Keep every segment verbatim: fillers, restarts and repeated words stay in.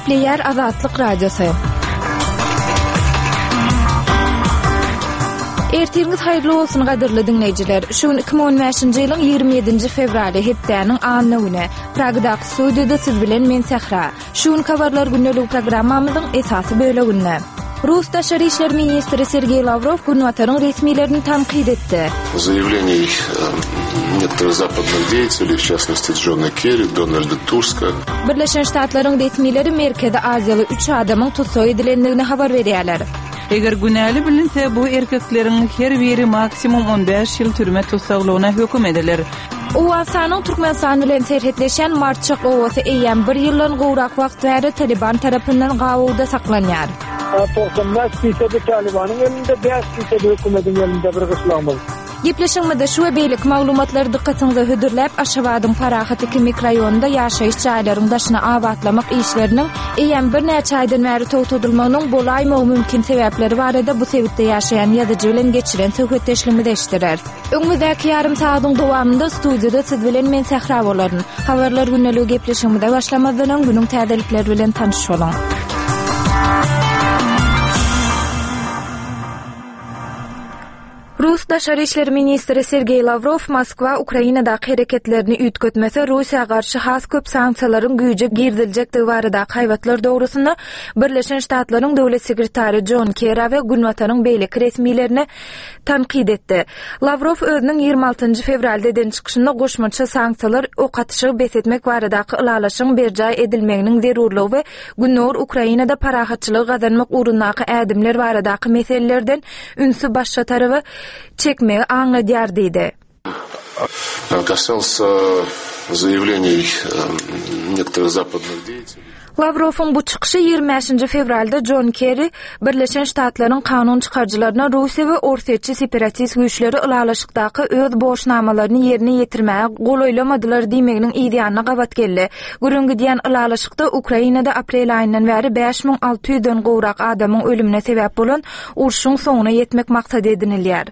Gepleýär Azatlyk Radiosy. Ertiriňiz haýyrly bolsun gadyrly diňleýjiler. Şu gün iki müň on bäşinji ýylyň ýigrimi ýedinji fewraly hepdäniň anna güni. Pragadaky studiýada siz bilen men Sähra. Şu gün habarlar gündelik programmamyzyň esasy böleginde. Rus daşary işler ministri Sergeý Lawrow Günbataryň resmilerini tankyt etdi. Заявлений некоторых западных деятелей, в частности Джона Керри, Дональда Туска. Birleşen Ştatlaryň resmileri Merkezi Aziýaly üç adamyň tussag edilendigini habar berýärler. Eger günäli bilinse, bu erkekleriň her biri maksimum on bäş ýyl türme tussaglygyna höküm ediler. Owganystanyň Türkmenistan bilen serhetleşen Marçak obasy eýýäm bir ýyldan gowrak wagt bäri Taliban tarapyndan gabawda saklanýar. Togsan bäş fisedi Talibanyň elinde, bäş fisedi hökümetiň elinde bir gyşlagymyz. Gepleşigimizde şu we beýleki maglumatlary dykgatyňyza hödürläp, Aşgabadyň Parahat iki mikroraýonynda ýaşaýyş jaýlaryň daşyny abatlamak işleriniň eýýäm birnäçe aýdan bäri togtadylmagynyň bolaýmagy mümkin sebäpleri barada bu sebitde ýaşaýan ýazyjy bilen geçiren söhbetdeşligimizi eşitdirer. Öňümizdäki ýarym sagatyň dowamynda studiýada siz bilen men Sähra bolaryn. Habarlar gündeligi gepleşigimize başlamazdan öň günüň täzelikleri bilen tanyş boluň. Rus daşary işler ministri Sergeý Lawrow Moskwa Ukrainadaky hereketlerini üýtgetmese Russiýa garşy has köp sanksiýalaryň güýje giriziljekdigi baradaky haýbatlar dogrusynda Birleşen Ştatlaryň döwlet sekretary John Kerry we Günbataryň beýleki resmilerini tankyt etdi. Lawrow özüniň ýigrimi altynjy fewralda eden çykyşynda goşmaça sanksiýalar ok atyşygy bes etmek baradaky ylalaşygyň berjaý edilmeginiň zerurlygy we Gündogar Ukrainada parahatçylygy gazanmak ugrundaky ädimler baradaky meselelerden ünsi başga taraba çekmegi aňladýar diýdi. Касался заявлений некоторых западных деятелей. Lawrowyň bu çykyşy ýigrimi bäşinji fewralda John Kerry Birleşen Ştatlaryň kanun çykaryjylaryna Russiýa we Orsýetçi separatist güýçleri ylalaşykdaky öz borçnamalaryny ýerine ýetirmäge golaýlamadylar diýmeginiň yz ýanyna gabat geldi. Gürrüň gidýän ylalaşykda Ukrainada aprel aýyndan bäri bäş müň alty ýüzden gowrak adamyň ölümine sebäp bolan urşuň soňuna ýetmek maksat edinilýär.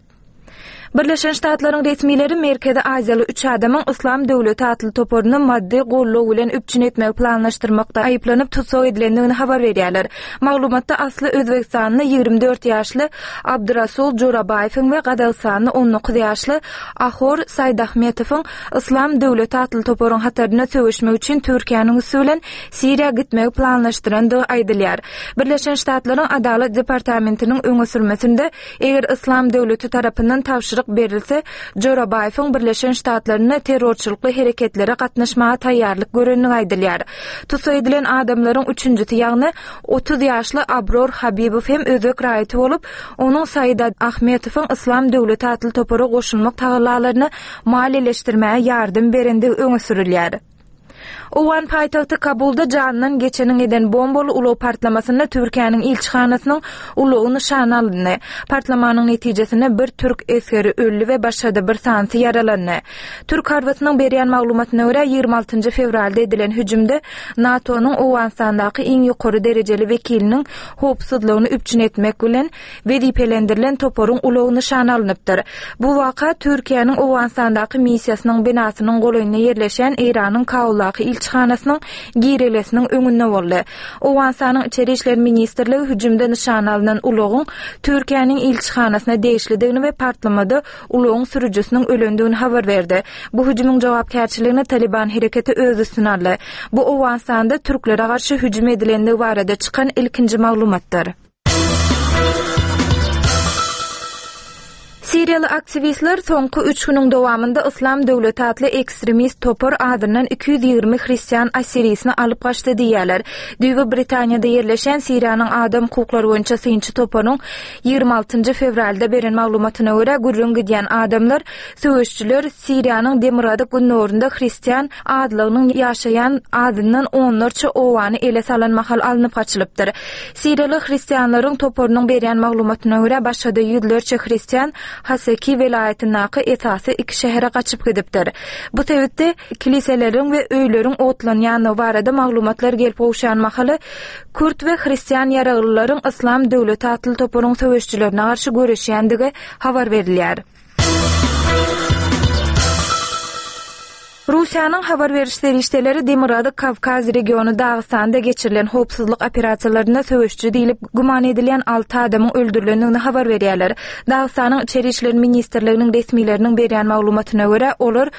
Birleşen Ştatlaryň resmileri Merkezi Aziýaly üç adamyň Islam döwleti atly toparyny maddy gollugy bilen üpjün etmegi planlaşdyrmakda aýyplanyp tussag edilendigini habar berýärler. Maglumatda asly Özbegistanly ýigrimi dört ýaşly Abdurasul Jorabaýewiň we Gazagystanly on dokuz ýaşly Ahor Saýdahmetowyň Islam döwleti atly toparyň hatarynda söweşmek üçin Türkiýäniň üsti bilen Siriýa gitmegi planlaşdyrandygy aýdylýar. Birleşen Ştatlaryň Adalat departamentiniň öňe sürmesinde eger Islam döwleti tarapyndan tabşyryk berilse, Jorabaýewiň Birleşen Ştatlarynda terrorçylykly hereketlere gatnaşmaga taýýarlyk görenligi aýdylýar. Tussag edilen adamlaryň üçünjisi, ýagny otuz ýaşly Abror Habibow hem özbek raýaty bolup, onuň Said Ahmetowyň Islam döwleti atly topara goşulmak tagallalaryny maliýeleşdirmäge ýardam berendigi öňe sürülýär. Owgan paýtagty Kabulda jandan geçeniň eden bombaly ulag partlamasynda Türkiýäniň ilçihanasynyň ulagy nyşana alyndy. Partlamanyň netijesinde bir türk esgeri öldi we başga-da bir sanysy ýaralandy. Türk harbysynyň berýän maglumatyna görä ýigrimi altynjy fewralda edilen hüjümde NATO-nyň Owganystandaky iň ýokary derejeli wekiliniň howpsuzlygyny üpjün etmek bilen wezipelendirilen toparyň ulagy nyşana alnypdyr. Bu waka Türkiýäniň Owganystandaky missiýasynyň binasynyň golaýynda ýerleşen Eýranyň Kabuldaky ilçihanasynyň girelesiniň öňünde boldy. Owganystanyň İçeri İşler Ministrligi hüjümde nyşana alynan ulagyň Türkiýäniň ilçihanasyna degişlidigini we partlamada ulagyň sürüjisiniň ölendigini habar berdi. Bu hüjümiň jogapkärçiligini Taliban hereketi öz üstüne aldy. Bu Owganystanda türklere garşy hüjüm edilendigi barada çykan ilkinji maglumatdyr. Siriýaly aktiwistler soňky üç günüň dowamynda Islam döwleti atly ekstremist topar adyndan iki ýüz ýigrimi hristian assirisini alyp gaçdy diýýärler. Düýbi Britaniýada ýerleşen Siriýanyň adam hukuklary boýunça synçy toparyň ýigrimi altynjy fewralda beren maglumatyna görä gürrüň gidýän adamlar söweşçiler Siriýanyň demirgazyk gündogarynda hristian adlygynyň ýaşaýan adyndan onlarça owany ele salan mahal alnyp gaçylypdyr. Siriýaly hristianlaryň toparynyň berýän maglumatyna görä başga-da ýüzlerçe hristian Haseki welaýatyndaky esasy iki şähere gaçyp gidipdir. Bu sebitde kiliseleriň we öýleriň otlanýandygy barada maglumatlar gelip gowşan mahaly Kürt we hristian ýaraglylaryň Islam döwleti atly toparyň söweşçilerine garşy göreşýändigi habar berilýär. Russiýanyň habar beriş serişdeleri Demirgazyk Kawkaz regiony Dagystanda geçirilen howpsuzlyk operasiýalarynda söweşiji diýlip güman edilýän alty adamyň öldürilendigini habar berýärler. Dagystanyň Içeri işler ministrliginiň resmileriniň berýän maglumatyna görä, olar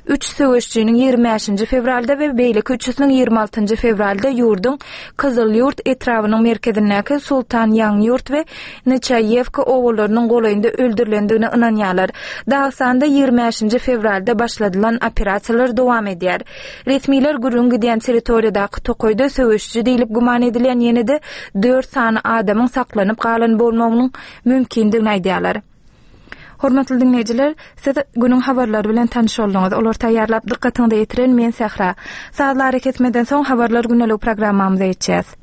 üç söweşijiniň ýigrimi bäşinji fewralda we beýleki üçüsiniň ýigrimi altynjy fewralda ýurduň Kyzylýurt etrabynyň merkezindäki Sultan Ýaňyýurt we Neçaýewka obalarynyň golaýynda öldürilendigine ynanýarlar. Dagystanda ýigrimi bäşinji fewralda başladylan operasiýalar dowam edýär. Resmiler gürrüň gidýän territoriýadaky tokaýda söweşiji diýlip güman edilýän ýene-de dört sany adamyň saklanyp galan bolmagynyň mümkindigini aýdýarlar. Hormatly diňleýjiler, siz günüň habarlary bilen tanyş bolduňyz. Olary taýýarlap dykgatyňyza ýetiren men Sähra. Sazly arakesmeden soň Habarlar gündelik programmamyza geçýäs.